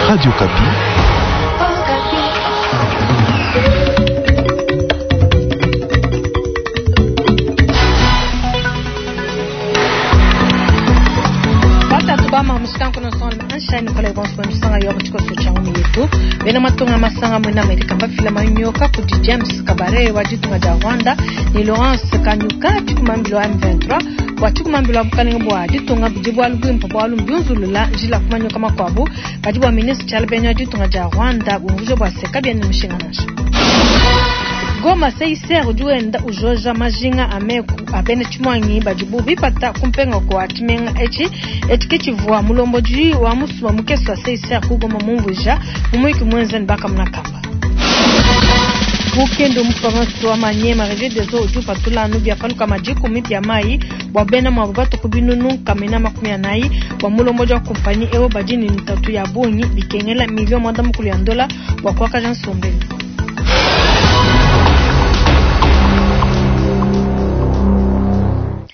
Radio Okapi. Batatu bama mushikanku nonso ansha Nicolas bonso misanga yo mutshikoso tsha ngumi yetu bena matunga masanga mwena Amerika bafila manyoka kudi James Kabare wa ditunga dia Rwanda ne Laurence Kanyuka tshikumambilo wa M23 bua tshikumambilo wa bukalenge bua ditunga budi bualu buimpe bualu mbiunzulula njila ku manyoka makuabu kadi bua ministre Tshialabenya wa ditunga dia Rwanda bumvuija bua se kabiena ne mushinga nansha. Goma CICR udi wenda ujoja majinga a meku a bena tshimuangi badibu bipata kumpenga kua tshimenga etshi. Etshi ke tshivua mulombodi wa musumba mukese wa CICR ku Goma mumvuija mu muyuki muenza ne bakamuna kamba. Ku Kindu mu province wa Maniema, Regideso udi upatula anu bia pa lukama dikumi bia mayi bua bena muabu batue ku binunu nkamina 40. Bua mulombodi wa kumpanyi eu badi ne ntatu ya bungi bikengela milio 50 ya ndola bua kuakaja nsombelu.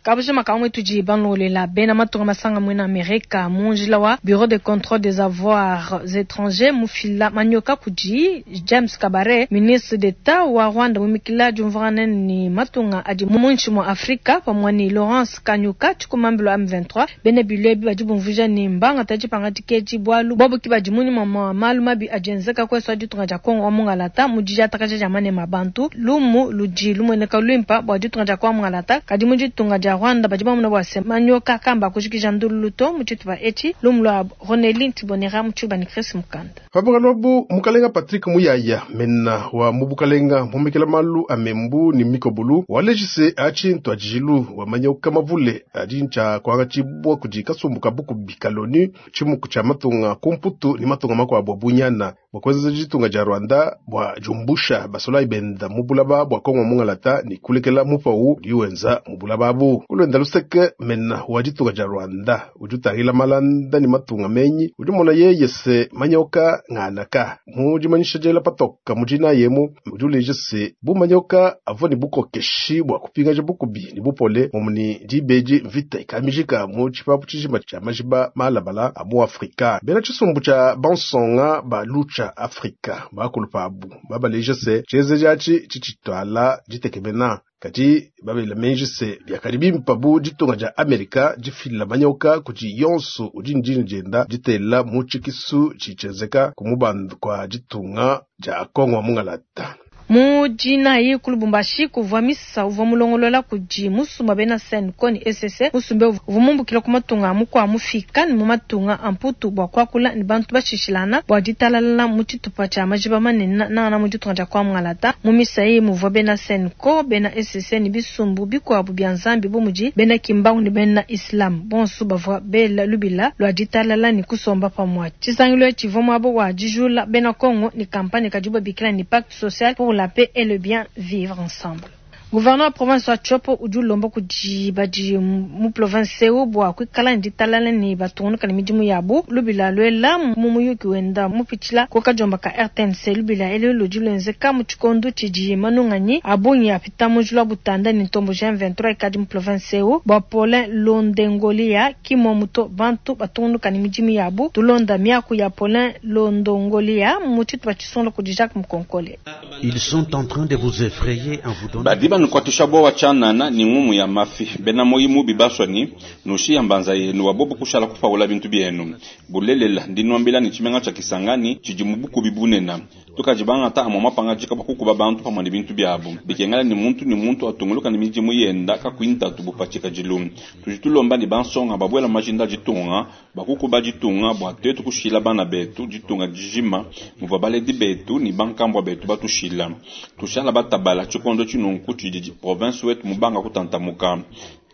Kabujima kamwe tudi banlolela bena matunga masanga mwena Amerika mu njila wa Bureau de contrôle des avoirs étrangers mufila manyoka kudi James Kabare ministre d'État wa Rwanda mumikila diumvuangana ni matunga adi muinshi mua Afrika pamue ne Laurence Kanyuka tshikumambilo M23 bena bilo ebi badi bumvuija ne mbangata dipangadika edi bualu bobu ke badi munyima mua malu mabi adi enzeka kuesu a ditunga dia Kongo wa mungalata mu didiatakaja dia manema a bantu. Lumu ludi lumueneka luimpa bua ditunga dia Kongo wa mungalata kadi mu ditunga dia Rwanda badi bamona bua se manyoka kamba kujikija ndululu to mu tshitupa etshi. Lumu lua Roneli Ntibonera mu tshiluba ne Chris Mukanda. Pa bualu abu, mukalenga Patrick Muyaya, mena wa mu bukalenga mumekela malu a membu ne mikobolu, waleji se atshi ntuadijilu wa manyoka mavule adi ntshia kuangatshibua kudi kasumbu ka bukubi ka l'ONU, tshimuku tshia matunga ku Mputu ne matunga makuabu a bunyana bua kuenza ditunga dia Rwanda bua diumbusha basolayi benda mu bulaba bua Kongo mungalata ne kulekela mupau udi wenza mu bulaba abu. Ku luenda luseke, mena wa ditunga dia Rwanda udi utangila malanda ne matunga menyi udi mona yeye se manyoka ng'anaka mu dimanyisha diela patoka mu dina yemu udi uleja se bu manyoka avua ne bukokeshi bua kupingaja bukubi ne bupole mumu ne dibedi mvita ikamijika mu tshipapu tshijima tshia majiba malabala a mu Afrika. Bena tshisumbu tshia bansonga ba Lucha Afrika bakulu pabu babaleja se tshienzeji atshi tshitshituala ditekemena kadi babela menji se biakadi bimpa bu ditunga dia Amerika difila manyoka kudi yonso udi ndini dienda ditela mu tshikisu tshitshienzeka ku mubandu kwa ditunga dia Kongo wa mungalata. Mu dinayi ku Lubumbashi kuvua misa uvua mulongolola kudi musumba bena CENCO ne ECC. Musumba uvua mumbukila ku matunga a mukua mufika ne mu matunga a Mputu bua kuakula ne bantu bashishilana bua ditalala mu tshitupa tshia majiba manene nangana mu ditunga dia Kongo mungalata. Mu misa eyi muvua bena CENCO, bena ECC ne bisumbu bikuabu bia Nzambi bu mudi bena Kimbangu ne bena Islam. Bonso bavua bela lubila lua ditalala ne kusomba pamue. Tshisangilu etshi tshivua muaba wa dijula bena Kongo ne kampanye kadibu babikila ne Pacte social pour la paix et le bien vivre ensemble. Gouverneur wa province wa Tshopo udi ulomba kudi badi mu province eu bua kuikala ne ditalala ne batungunuka ne midimu yabu. Lubila luela mu muyuki wenda mupitshila ku kadiomba ka RTNC. Lubila elu ludi luenzeka mu tshikondo tshidi manunganyi a bungi apita mu njila wa Butanda ne ntombo G23 ikadi mu province eu. Bua Paulin Londongolia ki muomu to bantu batungunuka ne midimu yabu. Tulonda miaku ya Paulin Londongolia mu tshitupa tshisungula kudi Jacques Mukonkole. Ils sont en train de vous effrayer en vous donnant Badi banukuatshisha bowa tshianana ne ngumu ya mafi. Bena muoyi mubi basua ne nushiya mbanza yenu wa bobu kushala kupawula bintu bienu. Bulelela ndi nuambila ne tshimenga tshia Kisangani tshidi mu bukubi bunene. Tukadi bangata amue mapangadika bua kukuba bantu pamue ne bintu biabu. Bikengela ne muntu ne muntu atunguluka ne midimu yenda kakuyi ntatu bu pa tshikadilu. Tudi tulomba ne bansonga babuela mu majinda a ditunga bua kukuba ditunga bua tuetu kushila bana betu ditunga dijima muvua baledi betu ne bankambua betu batushila. Tushala batabala tshikondo tshinunku tshidi province wetu mubanga kutantamuka.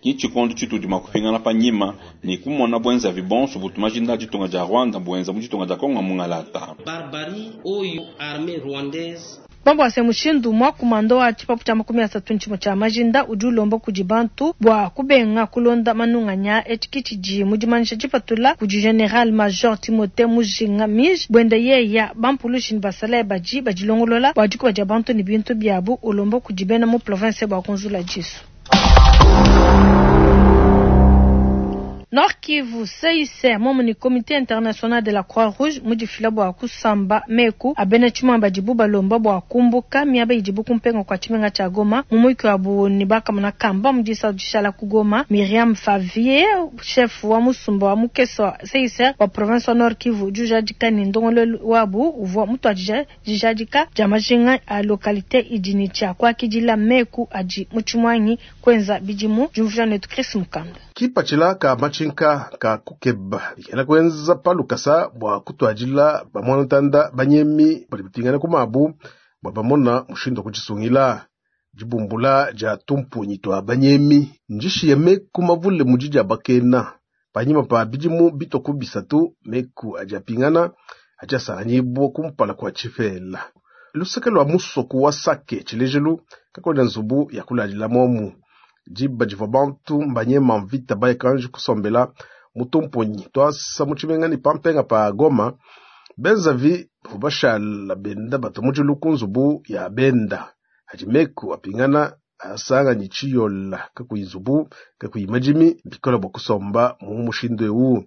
Ki tshikondo tshitudi mua kupingana panyima ne kumona buenzavi bonso butu majinda a ditunga dia Rwanda buenza mu ditunga dia Kongo mungalata. Barbarie oyo armée rwandaise Bambo se mushindu mwa kumando wa tshipapu tshia 30 ntshimo tshia majinda udi ulomba kudi bantu bua kubenga kulonda manunganya etshi ke tshidi mu dimanyisha dipatula kudi General Major Timothée Mujinga Mige buenda yeya bampulushi ne basalayi badi badilongolola bua dikuba dia bantu ne bintu biabu ulomba kudi bena mu province bua kunzula disu. Nord Kivu, CICR momu ne Comité International de la Croix Rouge mudifila bua kusamba meku a bena tshimuangi badibu balomba bua kumbuka miaba idibu ku mpenga kua tshimenga tshia Goma. Mu muyuki wabu ne bakamona kamba mu disatu dishala ku Goma, Myriam Favier chef wa musumba wa mukese wa CICR wa province wa Nord Kivu udi ujadika ne ndongoluelu wabu uvua mutuadija dijadika dia majinga a localité idi ne tshia kuakidila meku adi mu tshimuangi kuenza bidimu. Diumvuija netu Chris Mukanda. Kipatshila ka matshinka ka kukeba bikena kuenza pa lukasa bua kutuadila bamwanatanda banyemi badi bapingana ku mabu bua bamona mushindu wa kutshisungila. Dibumbula dia tumpunyi tua banyemi ndishiye meku mavule mudi dia bakena panyima pa bidimu bitwa ku bisatu meku adi apingana adi asanganyibua kumpala kua tshipela. Luseke lua musoku wa Sake tshilejelu kakuena nzubu ya kuladila momu. Diba divua bantu mbanyema mvita baye kanji kusombela mu tumpunyi tuasa mu tshimenga ne pampenga pa Goma benzavi bavua bashala benda batua mudilu ku nzubu ya benda adi meku apingana asanganyi tshiyola kakuyi nzubu kakuyi madimi bikola bua kusomba mu mushindu ewu.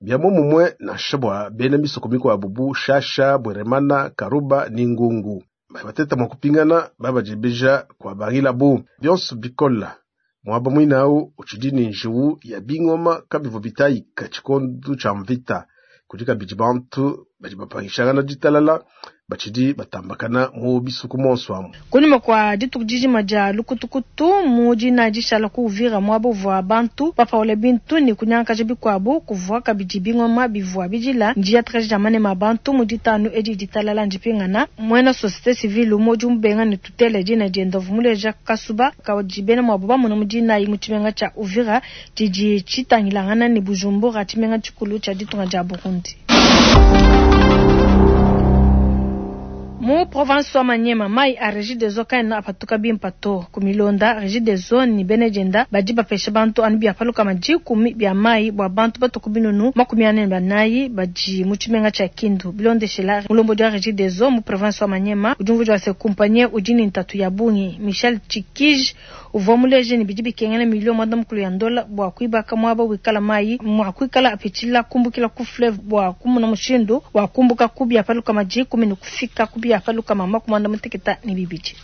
Bia momumue nansha bua bena misoko mikuabu bu Shasha, Bweremana, Karuba ne Ngungu bateta mua kupingana babadiebeja kua bangilabu bionso bikola muaba muinawu utshidi ne njiwu ya bingoma kabivua bitayika tshikondu tshia mvita kudi kabidi bantu badi bapangishangana ditalala batshidi batambakana mu bisuku monso amu. Kunyima kua dituku dijima dia lukutukutu mu dina dishala ku Uvira muaba uvua bantu bapaula bintu ne kunyangakaja bikuabu kuvua kabidi bingoma bivua bidila ndiatakaja dia manema a bantu mu ditanu edi ditalala ndipingana. Muena société civile umue udi mubenga ne tutele dina dienda uvua muleja kasuba kadi bena muabu bamona mu dinayi mu tshimenga tshia Uvira tshidi tshitangilangana ne Bujumbura tshimenga tshikulu tshia ditunga dia Burundi. Mu province wa Maniema mai a Regideso kaena apatuka bimpe to. Ku milonda Regideso ne bena dienda badi bapesha bantu anu bia pa 10 bia mai bua bantu batue ku binunu 44 badi mu tshimenga tshia Kindu. Bilondeshela mulombodi wa Regideso mu province wa Maniema udi umvuija se kumpanye udi ne ntatu ya bungi. Michel Tshikij uvua muleje ne bidi bikengela milio 90 ya ndola bua kuibaka muaba wikala mai mua kuikala apitshila kumbukila ku fleuve bua kumona mushindu wa kumbuka ku bia pa 10 ne kufika ku bia pa 62.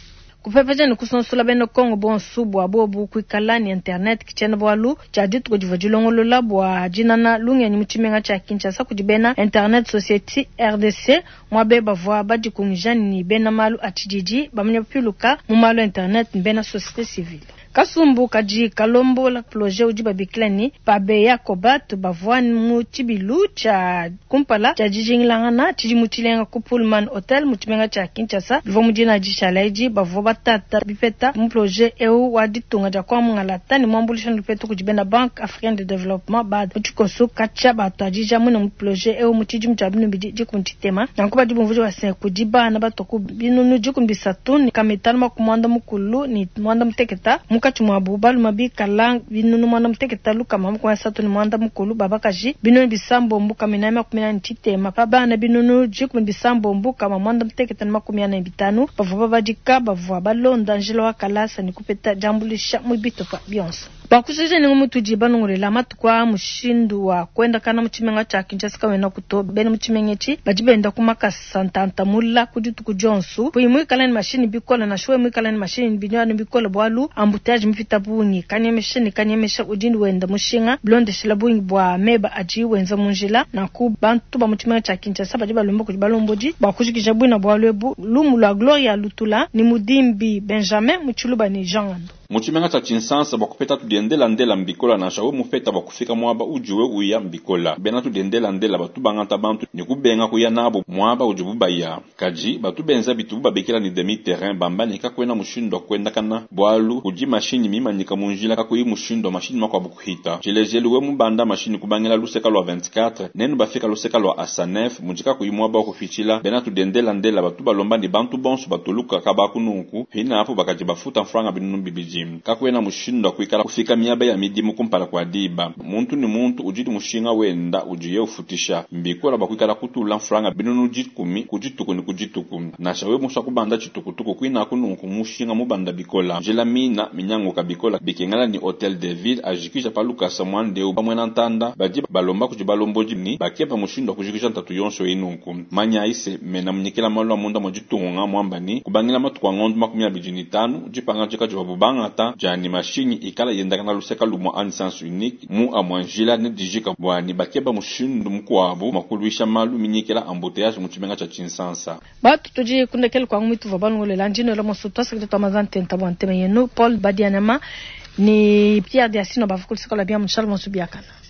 Kupepeja ne kusonsola bena Kongo bonso bua bobu kuikala ne internet kitshiena bualu tshia dituku divua dilongolola bua dinana lungenyi mu tshimenga tshia Kinshasa kudi bena Internet Society RDC muabe bavua badikungija ne bena malu a tshididi bamanya piluka mu malu a internet ne bena société civile. Kasumbu kadi kalombola projet udi babikila ne Pabeya Kobat bavua mu tshibilu tshia kumpala tshia dijingilangana tshidimu tshilenga ku Pullman Hotel mu tshimenga tshia Kinshasa bivua mu dina dishala edi bavua batata bipeta mu projet eu wa ditunga dia kwa mungalata ne muambulisha lupetu kudi bena Banque Africaine de Développement BAD mu tshikoso katshia batuadija mune mu projet eu mu tshidimu tshia binu bidi dikumi tshitema nanku badi bumvuija base kudi bana batua ku binunu 35 ne kamitanu 98 munkatshi muabu baluma bikala binunu 6 180 babakaji binunu 9 440 pa bana binunu 9 645 bavua babadika bavua balonda njila wa kalasa ne kupeta diambulisha mu bitupa bionso. Bakushisha ningo mutudi banongolela matuku a mushindu wa kuendakana mu tshimenga tshia Kinshasa kawena kuto bena mu tshimenga etshi badi benda ku makasa ntantamula ku dituku dionso puyi muikala ne mashini bikola nansha we muikala ne mashini binyani bikola bualu embouteillage mupita bungi kanyemesha ne kanyemesha udi wenda mushinga bilondeshela bungi bua meba adi wenza mu njila nanku bantu ba mu tshimenga tshia Kinshasa badi balomba kudi balombodi bua kujikija buina bualu ebu lumu lua Gloria Lutula ni Mudimbi Benjamin mu Tshiluba ne Jean Ngando. Mu tshimenga tshia Tshinsansa bua kupeta tudiendelandela mbikola nansha we mupeta bua kufika muaba udiwe uya mbikola bena tudiendelandela batu bangata bantu ne kubenga kuya nabo muaba udibu baya kadi batu benza bitubu babikila ne demi terrain bamba ne kakuena mushindu wa kuendakana bualu kudi mashinyi mimanyika mu njila kakuyi mushindu wa mashinyi makuabu kuhita tshilejelu we mubanda mashinyi kubangila luseka lua 24 nenu bafika luseka lua asanef mudi kakuyi muaba wa kupitshila bena tudiendelandela batu balomba ne bantu bonso batuluka kabaku nunku hina apo bakadi bafuta mfranga binunu bibidi. kabidi. Kakuena mushindu wa kuikala kufika miaba ya midimu kumpala kua diba. Muntu ni muntu udi ni mushinga wenda udiye ufutisha. Mbikola bua kuikala kutula mfranga 1000 ku dituku ni ku dituku. Nansha wewe musua kubanda tshitukutuku kuinaku nunku mushinga mubanda bikola. Njila mina minyanguka bikola bikengela ni Hotel de Ville ajikija pa lukasa muanda eu bamuena ntanda badi balomba kudi balombodi ni bakeba mushindu wa kujikija ntatu yonso eyi nunku. Manyayi se mena munyikila malu a munda mua ditunga muamba ni kubangila matuku a ngondo 25 dipangadika divuabu bangata dia ni mashinyi ikala yendakana luseka lumue anyi sens unique mu amua njila ne dijika bua ni bakeba mushindu mukuabu mua kuluisha malu minyikila embouteillage mu tshimenga tshia Tshinsansa. Batu tudi kundekela kwangu mitu vua balongolela ndino moso twasakidila twa maza ntenta bua ntema yenu Paul Badianama ni Pierre Diasino bavua kuluseka lua bia mu Charles Monsu biakana.